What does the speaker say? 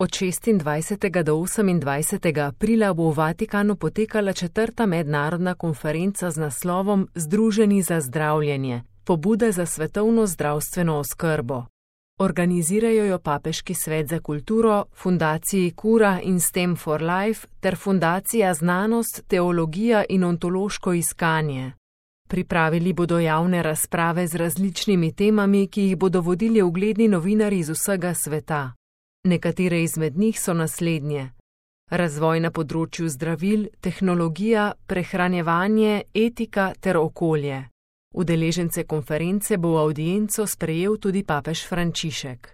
Od 26. do 28. aprila bo v Vatikanu potekala 4. mednarodna konferenca z naslovom Združeni za zdravljenje, pobuda za svetovno zdravstveno oskrbo. Organizirajo jo Papeški svet za kulturo, Fundaciji Cura in Stem for Life ter Fundacija Znanost, teologija in ontološko iskanje. Pripravili bodo javne razprave z različnimi temami, ki jih bodo vodili ugledni novinarji iz vsega sveta. Nekatere izmed njih so naslednje: razvoj na področju zdravil, tehnologija, prehranjevanje, etika ter okolje. Udeležence konference bo v avdienco sprejel tudi papež Frančišek.